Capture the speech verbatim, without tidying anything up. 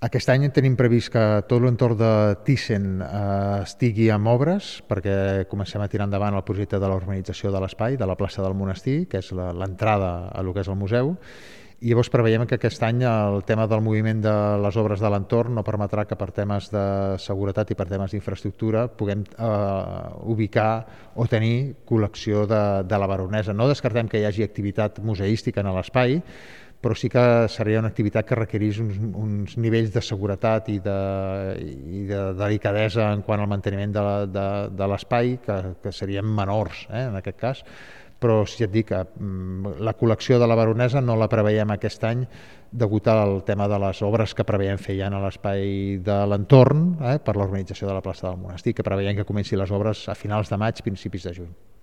Aquest any tenim previst que tot l'entorn de Thyssen eh, estigui amb obres, perquè comencem a tirar endavant el projecte de la urbanització de l'espai, de la plaça del Monestir, que és l'entrada a lo que és el museu, i llavors preveiem que aquest any el tema del moviment de les obres de l'entorn no permetrà que per temes de seguretat i per temes d'infraestructura puguem eh, ubicar o tenir col·lecció de, de la Baronesa. No descartem que hi hagi activitat museística en l'espai, però sí que seria una activitat que requerís uns, uns nivells de seguretat i de, i de delicadesa en quant al manteniment de, de, de l'espai que, que serien menors, eh, en aquest cas. Però si et dic que la col·lecció de la Baronesa no la preveiem aquest any degut al tema de les obres que preveiem fer ja a l'espai de l'entorn, eh, per l'organització de la plaça del Monestir, que preveiem que comenci les obres a finals de maig, principis de juny.